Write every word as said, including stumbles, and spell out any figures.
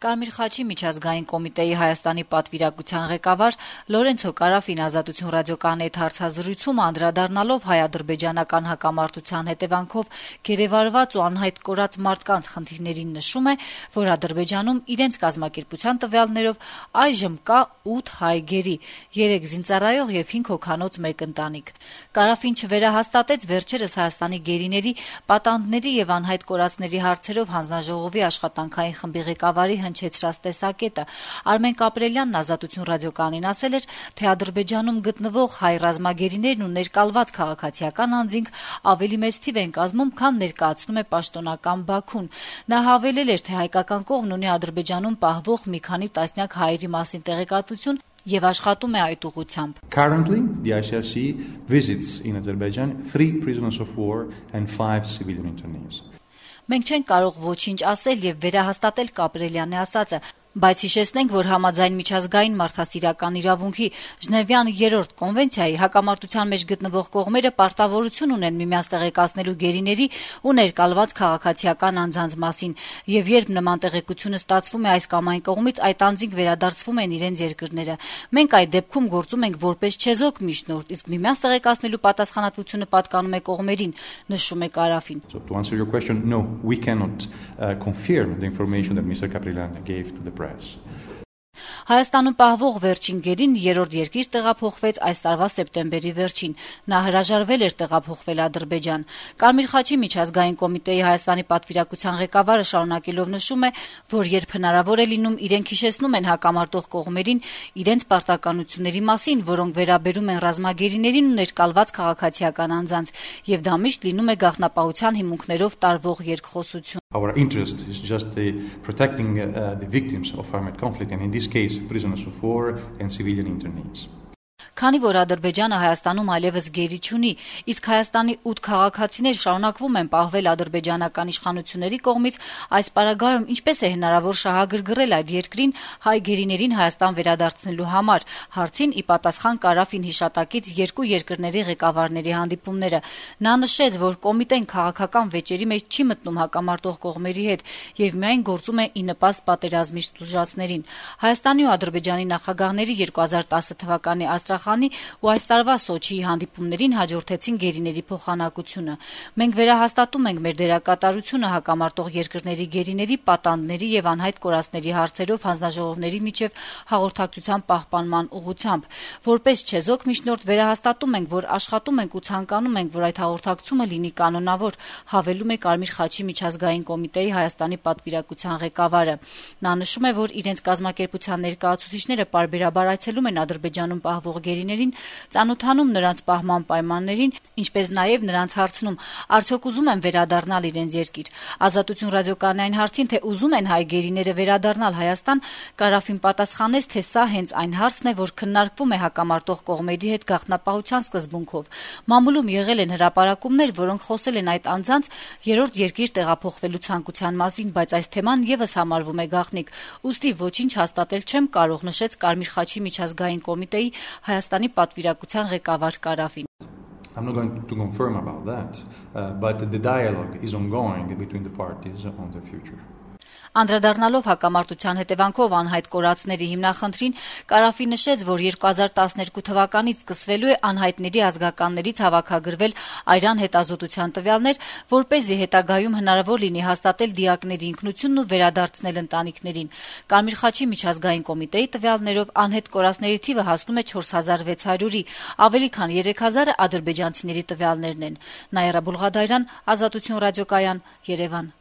Կարմիր խաչի միջազգային կոմիտեի Հայաստանի պատվիրակության ղեկավար Լորենցո Կարաֆին Ազատություն ռադիոկայանի հետ հարցազրույցում անդրադառնալով հայ-ադրբեջանական հակամարտության հետևանքով գերեվարված ու անհայտ կորած մարդկանց խնդիրներին նշում է, որ Ադրբեջանում իրենց կազմակերպության տվյալներով այժմ կա ութ հայ գերի, երեք զինծառայող եւ հինգ հոգանոց մեկ ընտանիք։ Կարաֆին չվերահաստատեց վերջերս Հայաստանի գերիների, պատանդների եւ անհայտ կորածների հարցերով հանձնաժողովի աշխատանքային խմբի ղեկավարի հնչեցրած տեսակետը։ Արմեն Կապրելյանն Ազատություն ռադիոկայանին ասել էր, թե Ադրբեջանում գտնվող հայ ռազմագերիներն ու ներկալված քաղաքացիական անձինք ավելի մեծ թիվ են կազմում, քան ներկայացնում է պաշտոնական Բաքուն։ Նա հավելել էր, թե հայկական կողմն ունի Ադրբեջանում պահվող մի քանի տասնյակ հայերի մասին տեղեկատվություն եւ աշխատում է այդ ուղղությամբ։ Currently, the I C R C visits in Azerbaijan three prisoners of war and five civilian internees. Մենք չենք կարող ոչինչ ասել եւ վերահաստատել Կապրելյանի ասածը, բայց հիշեցնենք, որ համաձայն միջազգային մարդասիրական իրավունքի Ժնևյան երրորդ կոնվենցիայի հակամարտության մեջ գտնվող կողմերը պարտավորություն ունեն միմյանց տեղեկացնելու գերիների ու ներկալված քաղաքացիական անձանց մասին, եւ երբ նման տեղեկությունը ստացվում է այս կամ այն կողմից, այդ անձինք վերադարձվում են իրենց երկրները։ Մենք այդ դեպքում գործում ենք որպես չեզոք միջնորդ, իսկ միմյանց տեղեկացնելու պատասխանատվությունը պատկանում է կողմերին, նշում է Կարաֆին։ So to answer your question, no, we cannot uh, confirm the information that Mister Kaprilyan gave to the press. Հայաստանում պահվող վերջին գերին երրորդ երկիր տեղափոխվեց այս տարվա սեպտեմբերի վերջին։ Նա հրաժարվել էր տեղափոխվել Ադրբեջան։ Կարմիր խաչի միջազգային կոմիտեի Հայաստանի պատվիրակության ղեկավարը շարունակելով նշում է, որ երբ հնարավոր է լինում, իրենք հիշեցնում են հակամարտող կողմերին իրենց պարտականությունների մասին, որոնք վերաբերում են ռազմագերիներին ու ներկալված քաղաքացիական անձանց, եւ դա միշտ լինում է գաղտնապահության հիմունքներով տարվող երկխոսություն։ Our interest is just the protecting uh, the victims of armed conflict, and in this case, prisoners of war and civilian internees. Քանի որ Ադրբեջանը Հայաստանում այլևս գերի չունի, իսկ Հայաստանի ութ քաղաքացիներ շարունակվում են պահվել ադրբեջանական իշխանությունների կողմից, այս պարագայում ինչպես է հնարավոր շահագրգռել այդ երկրին հայ գերիներին Հայաստան վերադարձնելու համար, հարցին ի պատասխան Կարաֆին հիշատակից երկու երկրների ղեկավարների հանդիպումները։ Նա նշեց, որ կոմիտեն քաղաքական վեճերի մեջ չի մտնում հակամարտող կողմերի հետ եւ միայն գործում է ի նպաստ պատերազմի տուժածներին։ Հայաստանի ու Ադրբեջանի նախագահների երկու հազար տասը թվականի Աստրախանի ու այս տարվա Սոչիի հանդիպումներին հաջորդեցին գերիների փոխանակությունը։ Մենք վերահաստատում ենք մեր դերակատարությունը հակամարտող երկրների գերիների, պատանդների եւ անհայտ կորածների հարցերով հանձնաժողովների միջև հաղորդակցության պահպանման ուղղությամբ։ Որպես չեզոք միջնորդ վերահաստատում ենք, որ աշխատում ենք ու ցանկանում ենք, որ այդ հաղորդակցումը լինի կանոնավոր, հավելում է Կարմիր խաչի միջազգային կոմիտեի Հայաստանի պատվիրակության ղեկավարը։ Նա նշում է, որ իրենց կազմակերպության ներկայացուցիչները պարբերաբար այցելում են Ադրբեջանում պահվող գերիներին, ծանոթանում նրանց պահման պայմաններին, ինչպես նաև նրանց հարցնում, արդյոք ուզում են վերադառնալ իրենց երկիր։ Ազատություն ռադիոկայանային հարցին, թե ուզում են հայ գերիները վերադառնալ Հայաստան, Կարաֆին պատասխանեց, թե սա հենց այն հարցն է, որ քննարկվում է հակամարտող կողմերի հետ գաղտնապահության սկզբունքով։ Մամուլում եղել են հրապարակումներ, որոնք խոսել են այդ անձանց երրորդ երկիր տեղափոխվելու ցանկության մասին, բայց այս թեման եւս համարվում է գաղտնիք։ Ուստի ոչինչ հաստատել չեմ կարող, նշեց Կարմիր խաչի միջազգային կոմիտեի Հայաստանի պատվիրակության ղեկավար Կարաֆին։ I'm not going to confirm about that, uh, but the dialogue is ongoing between the parties on the future. Անդրադառնալով հակամարտության հետևանքով անհայտ կորածների հիմնախնդրին, Կարաֆին նշեց, որ երկու հազար տասներկու թվականից սկսվելու է անհայտների ազգականներից հավաքագրվել այրան հետազոտության տվյալներ, որպեսզի հետագայում հնարավոր լինի հաստատել դիակների ինքնությունն ու վերադարձնել ընտանիքներին։ Կարմիր խաչի միջազգային կոմիտեի տվյալներով անհետ կորածների թիվը հասնում է չորս հազար վեց հարյուրի, ավելի քան երեք հազարը ադրբեջանցիների տվյալներն են։ Նաիրա Բուլղադարյան, Ազատություն ռադիոկայան, Երևան։